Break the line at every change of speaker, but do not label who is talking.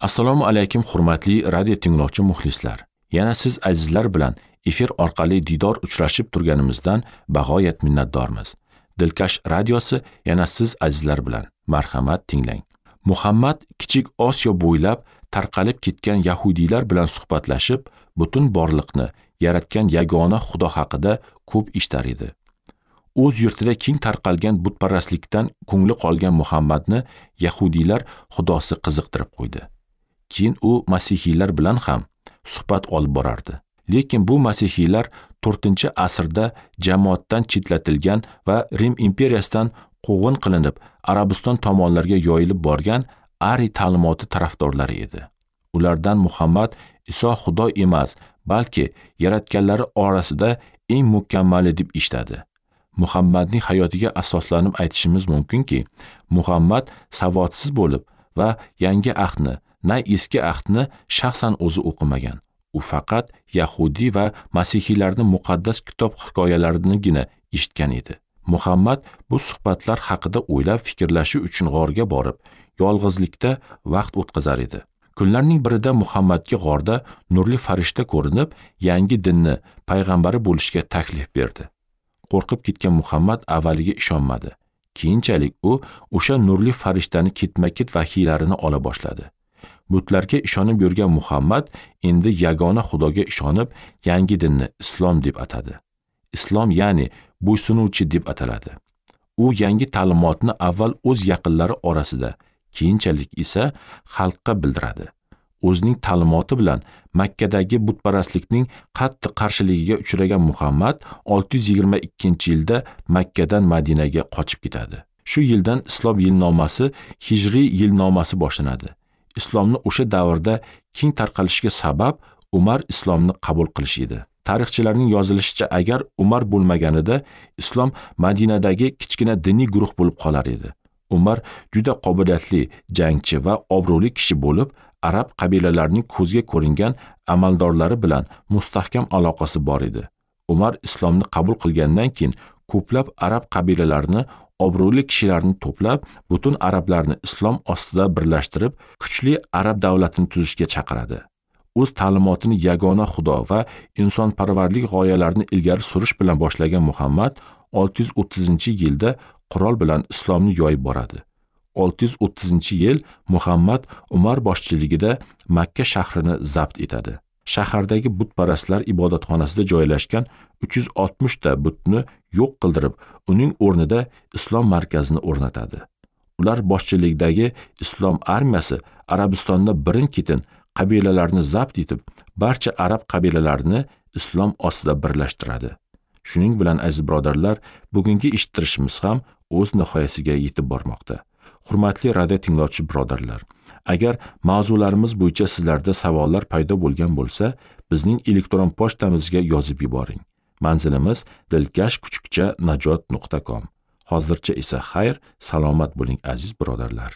Assalomu alaykum hurmatli radio tinglovchi muxlislar. Yana siz azizlar bilan efir orqali diydor uchrashib turganimizdan bag'oyat minnatdormiz. Dilkash radiosi yana siz azizlar bilan. Marhamat tinglang. Muhammad Kichik Osiyo bo'ylab tarqalib ketgan yahudiylar bilan suhbatlashib, butun borliqni yaratgan yagona Xudo haqida ko'p eshitar edi. O'z yurtida keng tarqalgan butparastlikdan ko'ngli qolgan Muhammadni yahudiylar xudosi qiziqtirib qo'ydi. Keyin u masihiylar bilan ham suhbat olib borardi. Lekin bu masihiylar 4-asrda jamoatdan chetlatilgan va Rim imperiyasidan quvg'in qilinib, Arabiston tomonlarga yoyilib borgan Ari ta'limoti tarafdorlari edi. Ulardan Muhammad Iso Xudo emas, balki yaratganlari orasida eng mukammali deb eshitadi. Muhammadning hayotiga asoslanib aytishimiz mumkinki, Muhammad savodsiz bo'lib va yangi ahdni, na eski ahdni shaxsan o'zi o'qimagan. U faqat yahudiy va masihiylarning muqaddas kitob hikoyalarinigina eshitgan edi. Muhammad bu suhbatlar haqida o'ylab fikrlashi uchun g'orga borib, yolg'izlikda vaqt o'tkazar edi. Kunlarning birida Muhammadga g'orda nurli farishta ko'rinib, yangi dinni payg'ambari bo'lishga taklif berdi. Qo'rqib ketgan Muhammad avvaliga ishonmadi. Keyinchalik u o'sha nurli farishtani ketma-ket vahiylarini ola boshladi. Butlarga ishonib yurgan Muhammad endi yagona Xudoga ishonib, yangi dinni islom deb atadi. Islom ya'ni bo'ysunuvchi deb ataladi. U yangi ta'limotni avval o'z yaqinlari orasida, keyinchalik esa xalqqa bildiradi. O'zining ta'limoti bilan Makkadagi butparastlikning qattiq qarshiligiga uchragan Muhammad 622-yilda Makkadan Madinaga qochib ketadi. Shu yildan islom yilnomasi Hijriy yilnomasi boshlanadi. Islomni o'sha davrda keng tarqalishiga sabab Umar islomni qabul qilish edi. Tarixchilarning yozilishicha, agar Umar bo'lmaganida islom Madinadagi kichkina diniy guruh bo'lib qolar edi. Umar juda qobiliyatli jangchi va obro'li kishi bo'lib, arab qabilalarining ko'zga ko'ringan amaldorlari bilan mustahkam aloqasi bor edi. Umar islomni qabul qilgandan keyin ko'plab arab qabilalarini, obro'li kishilarni to'plab, butun arablarni islom ostida birlashtirib, kuchli arab davlatini tuzishga chaqiradi. O'z ta'limotini yagona Xudo va insonparvarlik g'oyalarini ilgari surish bilan boshlagan Muhammad 630-yilda qurol bilan islomni yoyib boradi. 630-yil Muhammad Umar boshchiligida Makka shahrini zabt etadi. Shahardagi butparastlar ibodatxonasida joylashgan 360 ta butni yo'q qildirib, uning o'rnida islom markazini o'rnatadi. Ular boshchiligidagi islom armiyasi Arabistonda birin-ketin qabilalarni zabt etib, barcha arab qabilalarini islom ostida birlashtiradi. Shuning bilan aziz birodarlar, bugungi eshittirishimiz ham o'z nihoyasiga yetib bormoqda. Hurmatli radio tinglovchi birodarlar, agar mavzularimiz bo'yicha sizlarda savollar paydo bo'lgan bo'lsa, bizning elektron pochtamizga yozib yuboring. Manzilimiz dilkash@najot.com. Hozircha esa xayr, salomat bo'ling aziz birodarlar.